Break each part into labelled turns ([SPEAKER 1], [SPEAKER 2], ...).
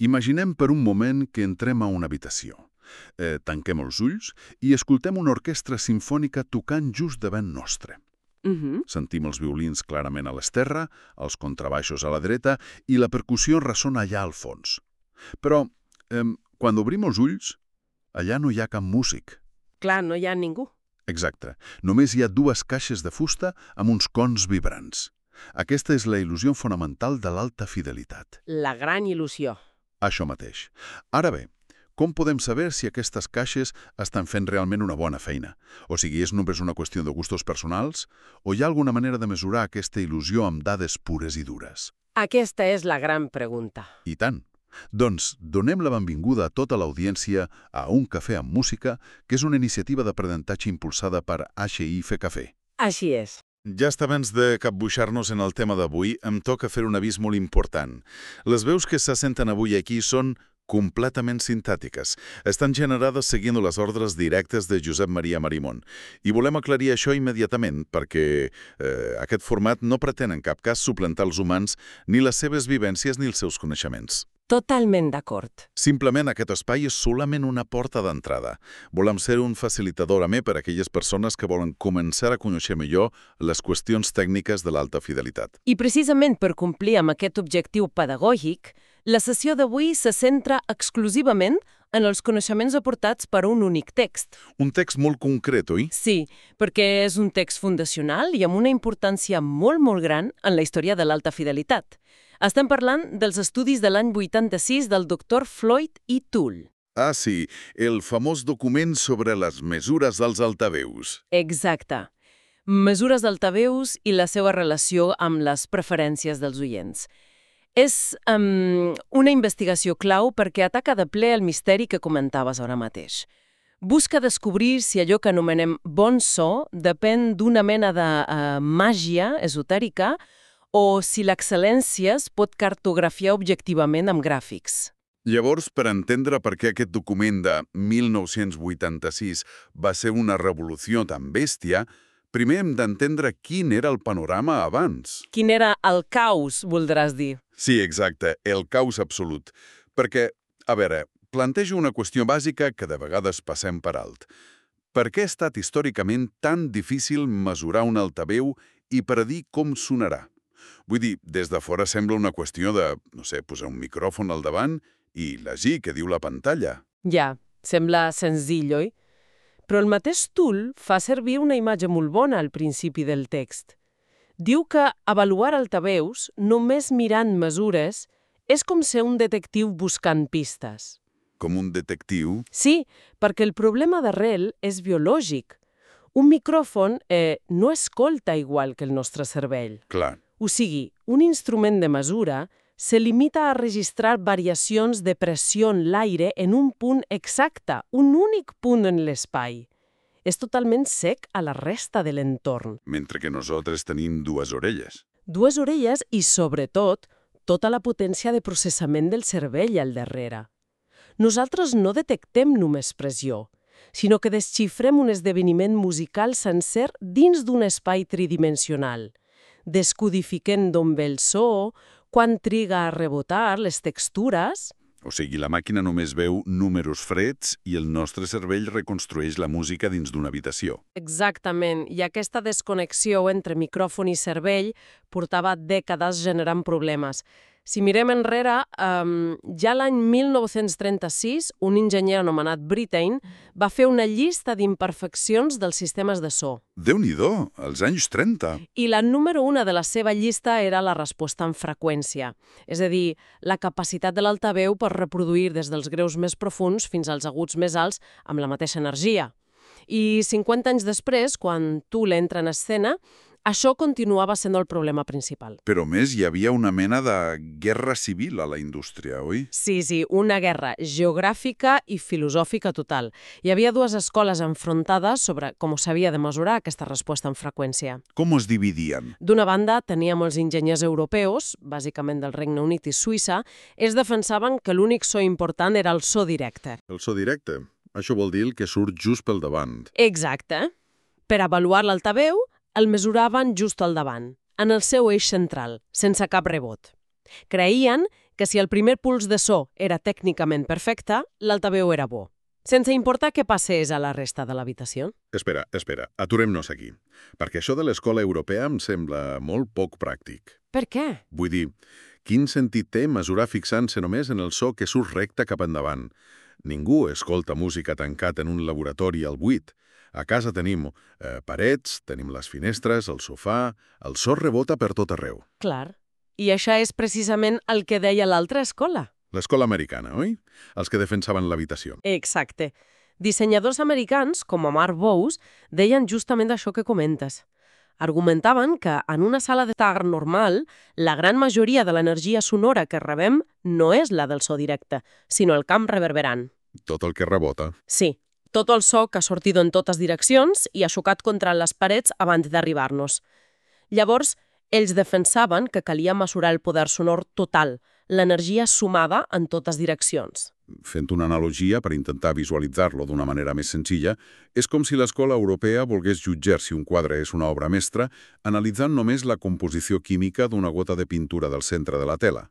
[SPEAKER 1] Imaginem per un moment que entrem a una habitació. Tanquem els ulls i escoltem una orquestra simfònica tocant just davant nostre. Sentim els violins clarament a l'esterra, els contrabaixos a la dreta i la percussió ressona allà al fons. Però, quan obrim els ulls, allà no hi ha cap músic.
[SPEAKER 2] Clar, no hi ha ningú.
[SPEAKER 1] Exacte. Només hi ha dues caixes de fusta amb uns cons vibrants. Aquesta és la il·lusió fonamental de l'alta fidelitat.
[SPEAKER 2] La gran il·lusió.
[SPEAKER 1] Això mateix. Ara bé, com podem saber si aquestes caixes estan fent realment una bona feina? O sigui, és només una qüestió de gustos personals? O hi ha alguna manera de mesurar aquesta il·lusió amb dades pures i dures?
[SPEAKER 2] Aquesta és la gran pregunta.
[SPEAKER 1] I tant. Doncs donem la benvinguda a tota l'audiència a Un cafè amb música, que és una iniciativa d'aprenentatge impulsada per HIF Cafè.
[SPEAKER 2] Així és.
[SPEAKER 1] Ja està abans de capbuixar-nos en el tema d'avui, em toca fer un avís molt important. Les veus que se senten avui aquí són completament sintàtiques. Estan generades seguint les ordres directes de Josep Maria Marimon. I volem aclarir això immediatament, perquè aquest format no pretén en cap cas suplantar els humans, ni les seves vivències ni els seus coneixements.
[SPEAKER 2] Totalment d'acord.
[SPEAKER 1] Simplement aquest espai és solament una porta d'entrada. Volem ser un facilitador amè per a aquelles persones que volen començar a conèixer millor les qüestions tècniques de l'alta fidelitat.
[SPEAKER 2] I precisament per complir amb aquest objectiu pedagògic, la sessió d'avui se centra exclusivament en els coneixements aportats per un únic text.
[SPEAKER 1] Un text molt concret, oi?
[SPEAKER 2] Sí, perquè és un text fundacional i amb una importància molt gran en la història de l'alta fidelitat. Estem parlant dels estudis de l'any 86 del Dr. Floyd i Toole.
[SPEAKER 1] Ah, sí, el famós document sobre les mesures dels altaveus.
[SPEAKER 2] Exacte. Mesures d'altaveus i la seva relació amb les preferències dels oients. És una investigació clau perquè ataca de ple el misteri que comentaves ara mateix. Busca descobrir si allò que anomenem bon so depèn d'una mena de màgia esotèrica o si l'excel·lència es pot cartografiar objectivament amb gràfics.
[SPEAKER 1] Llavors, per entendre per què aquest document de 1986 va ser una revolució tan bèstia, primer hem d'entendre quin era el panorama abans.
[SPEAKER 2] Quin era el caos, voldràs dir.
[SPEAKER 1] Sí, exacte, el caos absolut. Perquè, a veure, plantejo una qüestió bàsica que de vegades passem per alt. Per què ha estat històricament tan difícil mesurar un altaveu i predir com sonarà? Vull dir, des de fora sembla una qüestió de, no sé, posar un micròfon al davant i llegir què diu la pantalla.
[SPEAKER 2] Ja, sembla senzill, oi? Però el mateix Toole fa servir una imatge molt bona al principi del text. Diu que avaluar altaveus, només mirant mesures, és com ser un detectiu buscant pistes.
[SPEAKER 1] Com un detectiu?
[SPEAKER 2] Sí, perquè el problema d'arrel és biològic. Un micròfon no escolta igual que el nostre cervell.
[SPEAKER 1] Clar.
[SPEAKER 2] O sigui, un instrument de mesura se limita a registrar variacions de pressió en l'aire en un punt exacte, un únic punt en l'espai. És totalment sec a la resta de l'entorn.
[SPEAKER 1] Mentre que nosaltres tenim dues orelles.
[SPEAKER 2] Dues orelles i, sobretot, tota la potència de processament del cervell al darrere. Nosaltres no detectem només pressió, sinó que desxifrem un esdeveniment musical sencer dins d'un espai tridimensional, descodifiquent d'on ve el so, quan triga a rebotar les textures.
[SPEAKER 1] O sigui, la màquina només veu números freds i el nostre cervell reconstrueix la música dins d'una habitació.
[SPEAKER 2] Exactament, i aquesta desconnexió entre micròfon i cervell portava dècades generant problemes. Si mirem enrere, ja l'any 1936, un enginyer anomenat Brittain va fer una llista d'imperfeccions dels sistemes de so.
[SPEAKER 1] Déu-n'hi-do, als anys 30.
[SPEAKER 2] I la número 1 de la seva llista era la resposta en freqüència, és a dir, la capacitat de l'altaveu per reproduir des dels greus més profuns fins als aguts més alts amb la mateixa energia. I 50 anys després, quan Toole entra en escena, això continuava sent el problema principal.
[SPEAKER 1] Però més, hi havia una mena de guerra civil a la indústria, oi?
[SPEAKER 2] Sí, una guerra geogràfica i filosòfica total. Hi havia dues escoles enfrontades sobre com s'havia de mesurar aquesta resposta en freqüència.
[SPEAKER 1] Com es dividien?
[SPEAKER 2] D'una banda, teníem els enginyers europeus, bàsicament del Regne Unit i Suïssa, ells defensaven que l'únic so important era el so directe.
[SPEAKER 1] El so directe? Això vol dir el que surt just pel davant.
[SPEAKER 2] Exacte. Per avaluar l'altaveu, el mesuraven just al davant, en el seu eix central, sense cap rebot. Creien que si el primer puls de so era tècnicament perfecte, l'altaveu era bo, sense importar què passés a la resta de l'habitació.
[SPEAKER 1] Espera, aturem-nos aquí. Perquè això de l'escola europea em sembla molt poc pràctic.
[SPEAKER 2] Per què?
[SPEAKER 1] Vull dir, quin sentit té mesurar fixant-se només en el so que surt recte cap endavant? Ningú escolta música tancat en un laboratori al buit. A casa tenim parets, tenim les finestres, el sofà... El so rebota per tot arreu.
[SPEAKER 2] Clar. I això és precisament el que deia l'altra escola.
[SPEAKER 1] L'escola americana, oi? Els que defensaven l'habitació.
[SPEAKER 2] Exacte. Dissenyadors americans, com Marv Bose, deien justament això que comentes. Argumentaven que en una sala d'estar normal, la gran majoria de l'energia sonora que rebem no és la del so directe, sinó el camp reverberant.
[SPEAKER 1] Tot el que rebota.
[SPEAKER 2] Sí, tot el so que ha sortit en totes direccions i ha xocat contra les parets abans d'arribar-nos. Llavors, ells defensaven que calia mesurar el poder sonor total, l'energia sumada en totes direccions.
[SPEAKER 1] Fent una analogia per intentar visualitzar-lo d'una manera més senzilla, és com si l'escola europea volgués jutjar si un quadre és una obra mestra analitzant només la composició química d'una gota de pintura del centre de la tela.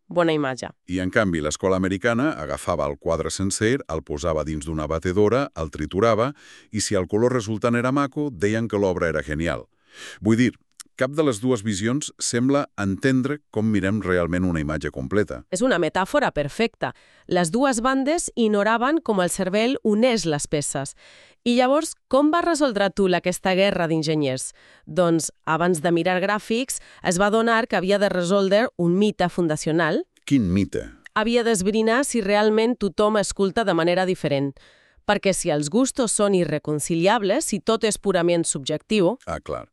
[SPEAKER 2] Bona imatge.
[SPEAKER 1] I, en canvi, l'escola americana agafava el quadre sencer, el posava dins d'una batedora, el triturava, i si el color resultant era maco, deien que l'obra era genial. Vull dir, cap de les dues visions sembla entendre com mirem realment una imatge completa.
[SPEAKER 2] És una metàfora perfecta. Les dues bandes ignoraven com el cervell uneix les peces. I llavors, com va resoldre Toole aquesta guerra d'enginyers? Doncs, abans de mirar gràfics, es va adonar que havia de resoldre un mite fundacional.
[SPEAKER 1] Quin mite?
[SPEAKER 2] Havia d'esbrinar si realment tothom escolta de manera diferent. Perquè si els gustos són irreconciliables, si tot és purament subjectiu...
[SPEAKER 1] Ah, clar.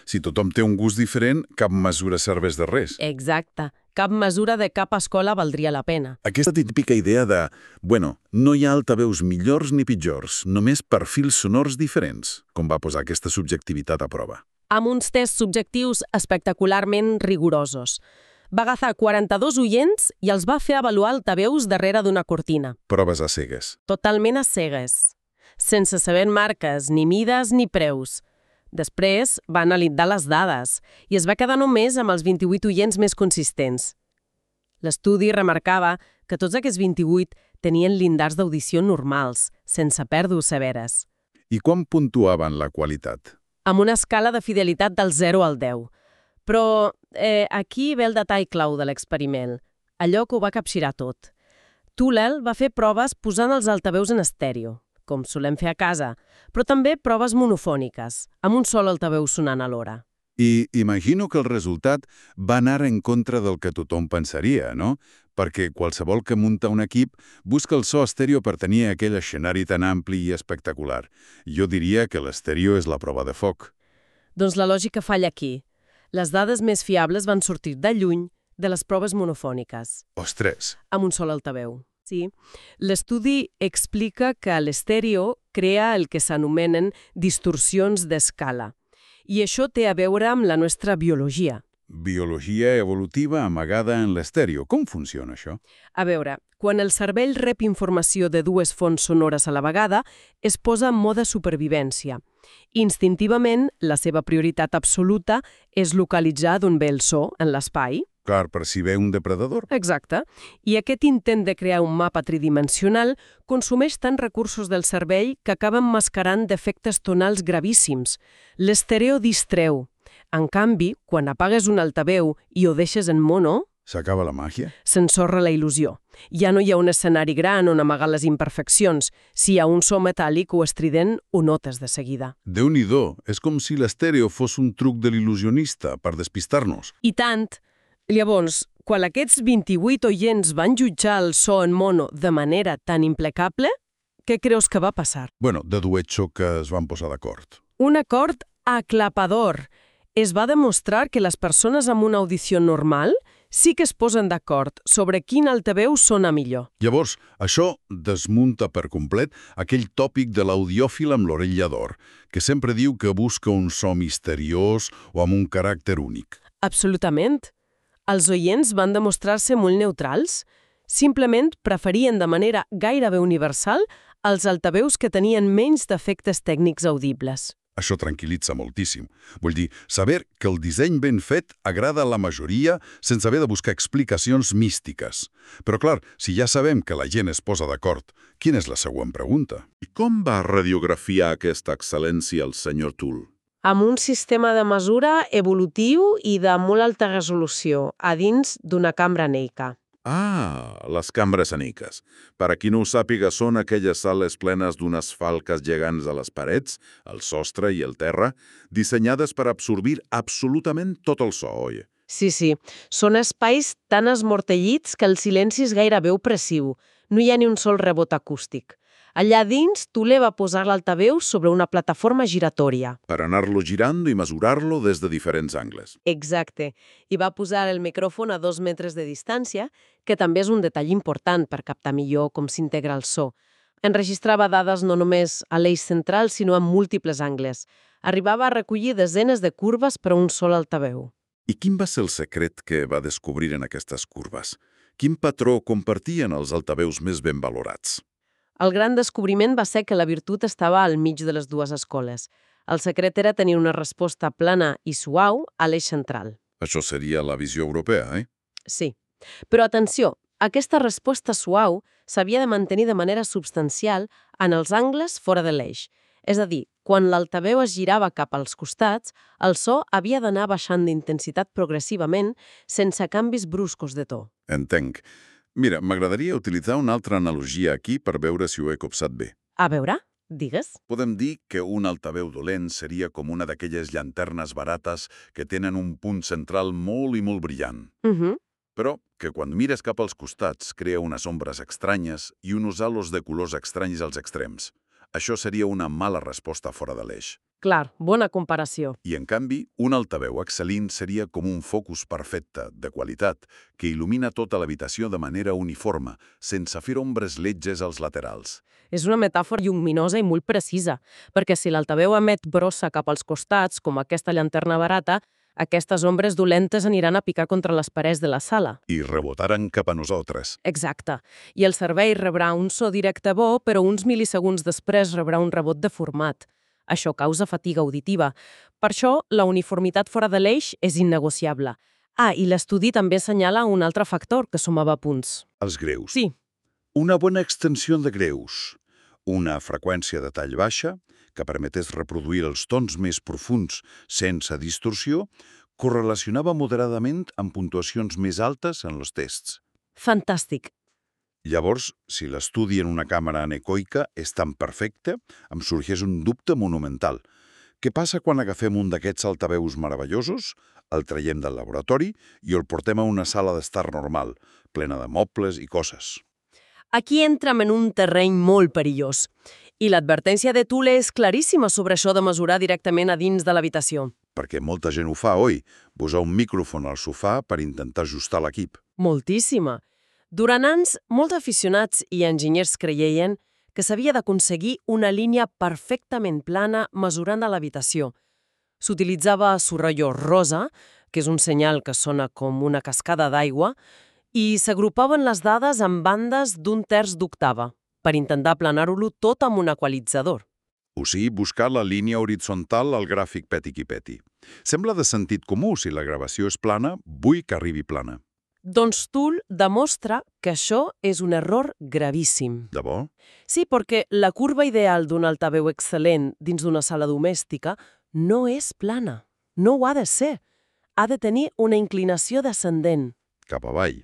[SPEAKER 1] Si tothom té un gust diferent, cap mesura serveix de res.
[SPEAKER 2] Exacte. Cap mesura de cap escola valdria la pena.
[SPEAKER 1] Aquesta típica idea de, no hi ha altaveus millors ni pitjors, només perfils sonors diferents, com va posar aquesta subjectivitat a prova.
[SPEAKER 2] Amb uns tests subjectius espectacularment rigorosos. Va agafar 42 oients i els va fer avaluar altaveus darrere d'una cortina.
[SPEAKER 1] Proves a cegues.
[SPEAKER 2] Totalment a cegues. Sense saber marques, ni mides, ni preus. Després va analitzar les dades i es va quedar només amb els 28 oients més consistents. L'estudi remarcava que tots aquests 28 tenien llindars d'audició normals, sense pèrdues severes.
[SPEAKER 1] I quan puntuaven la qualitat?
[SPEAKER 2] Amb una escala de fidelitat del 0 al 10. Però aquí ve el detall clau de l'experiment, allò que ho va capgirar tot. Toole va fer proves posant els altaveus en estèreo, com solem fer a casa, però també proves monofòniques, amb un sol altaveu sonant alhora.
[SPEAKER 1] I imagino que el resultat va anar en contra del que tothom pensaria, no? Perquè qualsevol que munta un equip busca el so estèreo per tenir aquell escenari tan ampli i espectacular. Jo diria que l'estèreo és la prova de foc.
[SPEAKER 2] Doncs la lògica falla aquí. Les dades més fiables van sortir de lluny de les proves monofòniques.
[SPEAKER 1] Ostres!
[SPEAKER 2] Amb un sol altaveu. Sí. L'estudi explica que l'estèreo crea el que s'anomenen distorsions d'escala. I això té a veure amb la nostra biologia.
[SPEAKER 1] Biologia evolutiva amagada en l'estèreo. Com funciona això?
[SPEAKER 2] A veure, quan el cervell rep informació de dues fonts sonores a la vegada, es posa en mode supervivència. Instintivament, la seva prioritat absoluta és localitzar d'on ve el so en l'espai.
[SPEAKER 1] Clar, per si ve un depredador.
[SPEAKER 2] Exacte. I aquest intent de crear un mapa tridimensional consumeix tants recursos del cervell que acaben mascarant defectes tonals gravíssims. L'estèreo distreu. En canvi, quan apagues un altaveu i ho deixes en mono...
[SPEAKER 1] S'acaba la màgia?
[SPEAKER 2] S'ensorra la il·lusió. Ja no hi ha un escenari gran on amagar les imperfeccions. Si hi ha un so metàl·lic o estrident, ho notes de seguida.
[SPEAKER 1] Déu-n'hi-do, és com si l'estèreo fos un truc de l'il·lusionista per despistar-nos.
[SPEAKER 2] I tant! Llavors, quan aquests 28 oients van jutjar el so en mono de manera tan impecable, què creus que va passar?
[SPEAKER 1] Dedueixo que es van posar d'acord.
[SPEAKER 2] Un acord aclapador. Es va demostrar que les persones amb una audició normal sí que es posen d'acord sobre quin altaveu sona millor.
[SPEAKER 1] Llavors, això desmunta per complet aquell tòpic de l'audiòfil amb l'orella d'or, que sempre diu que busca un so misteriós o amb un caràcter únic.
[SPEAKER 2] Absolutament. Els oients van demostrar-se molt neutrals. Simplement preferien de manera gairebé universal els altaveus que tenien menys defectes tècnics audibles.
[SPEAKER 3] Això tranquil·litza moltíssim. Vull dir, saber que el disseny ben fet agrada a la majoria sense haver de buscar explicacions místiques. Però clar, si ja sabem que la gent es posa d'acord, quina és la següent pregunta?
[SPEAKER 1] I com va radiografiar aquesta excel·lència el senyor Toole?
[SPEAKER 4] Amb un sistema de mesura evolutiu i de molt alta resolució, a dins d'una cambra Neika.
[SPEAKER 1] Ah, les cambres aniques. Per a qui no ho sàpiga, són aquelles sales plenes d'unes falques gegants a les parets, al sostre i al terra, dissenyades per absorbir absolutament tot el so, oi?
[SPEAKER 4] Sí, són espais tan esmortellits que el silenci és gairebé opressiu. No hi ha ni un sol rebot acústic. Allà dins, Toole va posar l'altaveu sobre una plataforma giratòria.
[SPEAKER 1] Per anar-lo girant i mesurar-lo des de diferents angles.
[SPEAKER 4] Exacte. I va posar el micròfon a 2 metres de distància, que també és un detall important per captar millor com s'integra el so. Enregistrava dades no només a l'eix central, sinó en múltiples angles. Arribava a recollir desenes de curves per a un sol altaveu.
[SPEAKER 1] I quin va ser el secret que va descobrir en aquestes curves? Quin patró compartien els altaveus més ben valorats?
[SPEAKER 4] El gran descobriment va ser que la virtut estava al mig de les dues escoles. El secret era tenir una resposta plana i suau a l'eix central.
[SPEAKER 1] Això seria la visió europea,
[SPEAKER 4] Sí. Però atenció, aquesta resposta suau s'havia de mantenir de manera substancial en els angles fora de l'eix. És a dir, quan l'altaveu es girava cap als costats, el so havia d'anar baixant d'intensitat progressivament sense canvis bruscos de to.
[SPEAKER 1] Entenc. Mira, m'agradaria utilitzar una altra analogia aquí per veure si ho he copsat bé.
[SPEAKER 4] A veure, digues.
[SPEAKER 1] Podem dir que un altaveu dolent seria com una d'aquelles llanternes barates que tenen un punt central molt i molt brillant. Però que quan mires cap als costats crea unes ombres estranyes i uns halos de colors estranys als extrems. Això seria una mala resposta fora de l'eix.
[SPEAKER 4] Clar, bona comparació.
[SPEAKER 1] I, en canvi, un altaveu excel·lent seria com un focus perfecte, de qualitat, que il·lumina tota l'habitació de manera uniforme, sense fer ombres lletges als laterals.
[SPEAKER 4] És una metàfora lluminosa i molt precisa, perquè si l'altaveu emet brossa cap als costats, com aquesta llanterna barata, aquestes ombres dolentes aniran a picar contra les parets de la sala.
[SPEAKER 1] I rebotaran cap a nosaltres.
[SPEAKER 4] Exacte. I el cervell rebrà un so directe bo, però uns mil·lisegunds després rebrà un rebot deformat. Això causa fatiga auditiva. Per això, la uniformitat fora de l'eix és innegociable. Ah, i l'estudi també assenyala un altre factor que sumava punts.
[SPEAKER 3] Els greus.
[SPEAKER 4] Sí.
[SPEAKER 3] Una bona extensió de greus. Una freqüència de tall baixa, que permetés reproduir els tons més profuns sense distorsió, correlacionava moderadament amb puntuacions més altes en els tests.
[SPEAKER 4] Fantàstic.
[SPEAKER 3] Llavors, si l'estudi en una càmera anecoica és tan perfecte, em sorgeix un dubte monumental. Què passa quan agafem un d'aquests altaveus meravellosos, el traiem del laboratori i el portem a una sala d'estar normal, plena de mobles i coses?
[SPEAKER 4] Aquí entrem en un terreny molt perillós. I l'advertència de Toole és claríssima sobre això de mesurar directament a dins de l'habitació.
[SPEAKER 3] Perquè molta gent ho fa, oi? Posar un micròfon al sofà per intentar ajustar l'equip.
[SPEAKER 4] Moltíssima. Durant anys, molts aficionats i enginyers creien que s'havia d'aconseguir una línia perfectament plana mesurant a l'habitació. S'utilitzava sorollo rosa, que és un senyal que sona com una cascada d'aigua, i s'agrupaven les dades en bandes d'un terç d'octava, per intentar aplanar-ho tot amb un equalitzador.
[SPEAKER 3] O sigui, buscar la línia horitzontal al gràfic peti qui peti. Sembla de sentit comú, si la gravació és plana, vull que arribi plana.
[SPEAKER 4] Doncs Toole demostra que això és un error gravíssim.
[SPEAKER 3] De bo?
[SPEAKER 4] Sí, perquè la curva ideal d'un altaveu excel·lent dins d'una sala domèstica no és plana. No ho ha de ser. Ha de tenir una inclinació descendent.
[SPEAKER 3] Cap avall.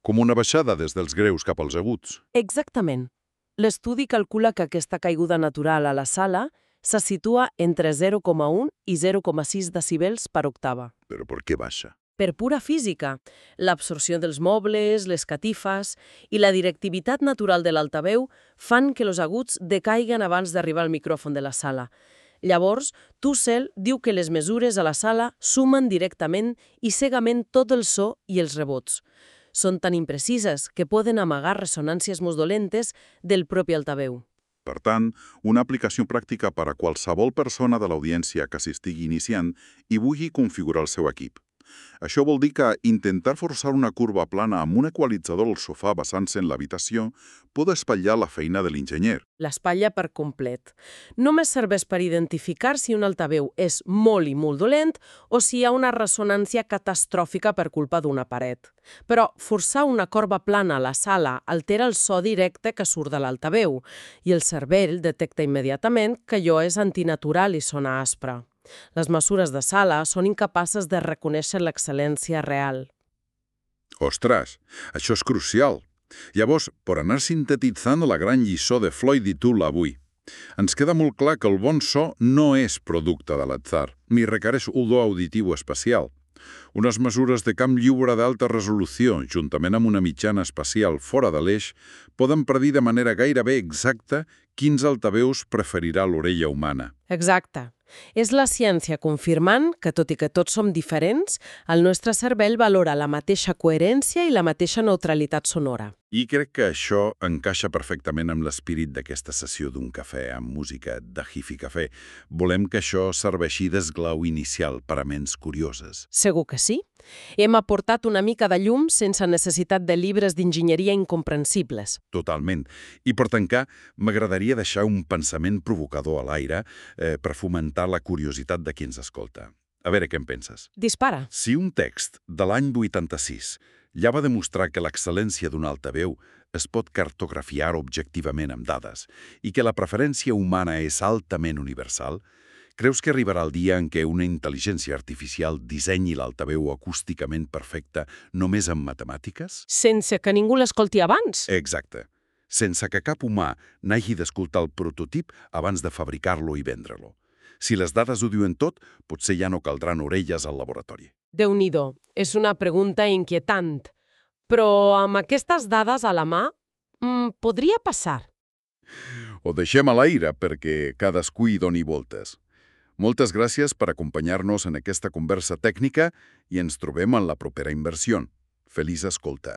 [SPEAKER 3] Com una baixada des dels greus cap als aguts.
[SPEAKER 4] Exactament. L'estudi calcula que aquesta caiguda natural a la sala se situa entre 0,1 i 0,6 decibels per octava.
[SPEAKER 3] Però per què baixa?
[SPEAKER 4] Per pura física, l'absorció dels mobles, les catifes i la directivitat natural de l'altaveu fan que els aguts decaiguen abans d'arribar al micròfon de la sala. Llavors, Toole diu que les mesures a la sala sumen directament i cegament tot el so i els rebots. Són tan imprecises que poden amagar ressonàncies molt dolentes del propi altaveu.
[SPEAKER 1] Per tant, una aplicació pràctica per a qualsevol persona de l'audiència que s'estigui iniciant i vulgui configurar el seu equip.
[SPEAKER 3] Això vol dir que intentar forçar una curva plana amb un equalitzador al sofà basant-se en l'habitació pot espatllar la feina de l'enginyer.
[SPEAKER 4] L'espatlla per complet. Només serveix per identificar si un altaveu és molt i molt dolent o si hi ha una ressonància catastròfica per culpa d'una paret. Però forçar una corba plana a la sala altera el so directe que surt de l'altaveu i el cervell detecta immediatament que allò és antinatural i sona aspre. Les mesures de sala són incapaces de reconèixer l'excel·lència real.
[SPEAKER 3] Ostres, això és crucial. Llavors, per anar sintetitzant la gran lliçó de Floyd i Toole avui, ens queda molt clar que el bon so no és producte de l'atzar, ni requereix odor auditiu especial. Unes mesures de camp lliure d'alta resolució, juntament amb una mitjana espacial fora de l'eix, poden predir de manera gairebé exacta quins altaveus preferirà l'orella humana.
[SPEAKER 4] Exacte. És la ciència confirmant que, tot i que tots som diferents, el nostre cervell valora la mateixa coherència i la mateixa neutralitat sonora.
[SPEAKER 3] I crec que això encaixa perfectament amb l'espírit d'aquesta sessió d'un cafè amb música de Hifi Cafè. Volem que això serveixi d'esglau inicial per a ments curioses.
[SPEAKER 4] Segur que sí. Hem aportat una mica de llum sense necessitat de llibres d'enginyeria incomprensibles.
[SPEAKER 3] Totalment. I per tancar, m'agradaria deixar un pensament provocador a l'aire per fomentar la curiositat de qui ens escolta. A veure què en penses.
[SPEAKER 4] Dispara.
[SPEAKER 3] Si un text de l'any 86 ja va demostrar que l'excel·lència d'un altaveu es pot cartografiar objectivament amb dades i que la preferència humana és altament universal, creus que arribarà el dia en què una intel·ligència artificial dissenyi l'altaveu acústicament perfecte només amb matemàtiques?
[SPEAKER 4] Sense que ningú l'escolti abans.
[SPEAKER 3] Exacte. Sense que cap humà n'hagi d'escoltar el prototip abans de fabricar-lo i vendre-lo. Si les dades ho diuen tot, potser ja no caldran orelles al laboratori.
[SPEAKER 4] Déu-n'hi-do, és una pregunta inquietant. Però amb aquestes dades a la mà, podria passar.
[SPEAKER 3] Ho deixem a l'aire perquè cadascú hi doni voltes. Moltes gràcies per acompanyar-nos en aquesta conversa tècnica i ens trobem en la propera inversió. Feliç escolta.